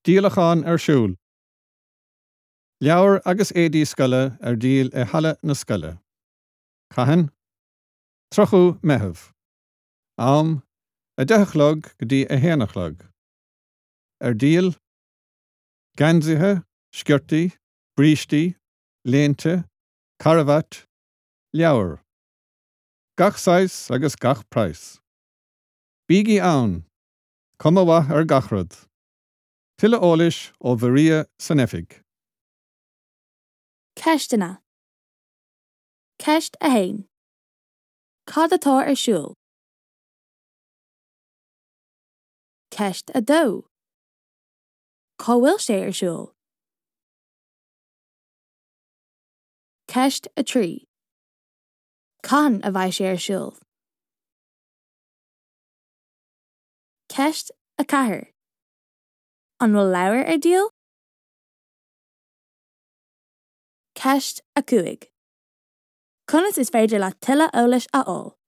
Díolachán ar siúl. Leabhair agus éadaí scoile ar díol i Halla na Scoile. Cathain? 30ú Meitheamh. Am, 10 a chlog go dtí 1 a chlog. Ar díol, Geansaithe, sciortaí, brístí, léinte, carbhait, leabhair. Gach saghas agus gach praghas. Bígí ann! Cuma mhaith ar gach rud. Tuilleadh eolais ó Mharia san oifig. Ceisteanna Ceist 1. Cad atá ar siúl? Ceist 2. Cá bhfuil sé ar siúl? Ceist 3. Cathain a bheidh sé ar siúl? Ceist 4. An bhfuil leabhair ar díol? Ceist 5. Conas is féidir leat tuilleadh eolais a fháil?